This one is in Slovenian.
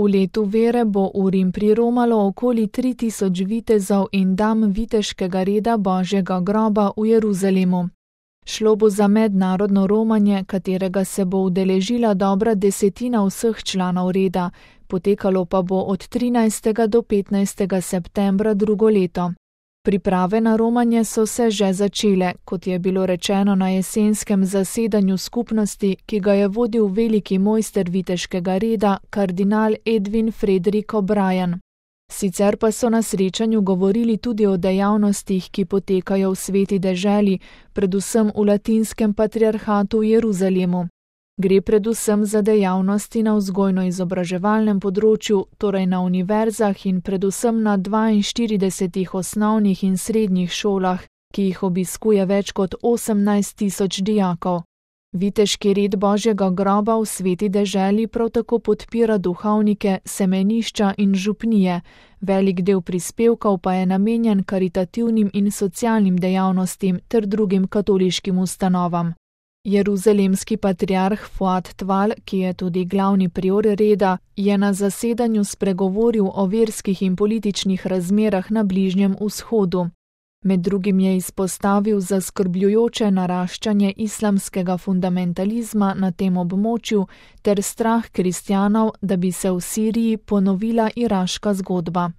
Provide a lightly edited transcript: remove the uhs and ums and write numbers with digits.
V letu vere bo v Rim priromalo okoli 3000 vitezov in dam viteškega reda Božjega groba v Jeruzalemu. Šlo bo za mednarodno romanje, katerega se bo udeležila dobra desetina vseh članov reda, potekalo pa bo od 13. do 15. septembra drugo leto. Priprave na romanje so se že začele, kot je bilo rečeno na jesenskem zasedanju skupnosti, ki ga je vodil veliki mojster viteškega reda, kardinal Edwin Frederick O'Brien. Sicer pa so na srečanju govorili tudi o dejavnostih, ki potekajo v Sveti deželi, predvsem v latinskem patriarhatu v Jeruzalemu. Gre predvsem za dejavnosti na vzgojno-izobraževalnem področju, torej na univerzah in predvsem na 42 osnovnih in srednjih šolah, ki jih obiskuje več kot 18 000 dijakov. Viteški red Božjega groba v Sveti deželi prav tako podpira duhovnike, semenišča in župnije, velik del prispevkov pa je namenjen karitativnim in socialnim dejavnostim ter drugim katoliškim ustanovam. Jeruzalemski patriarh Fuad Tval, ki je tudi glavni prior reda, je na zasedanju spregovoril o verskih in političnih razmerah na Bližnjem vzhodu. Med drugim je izpostavil zaskrbljujoče naraščanje islamskega fundamentalizma na tem območju ter strah kristjanov, da bi se v Siriji ponovila iraška zgodba.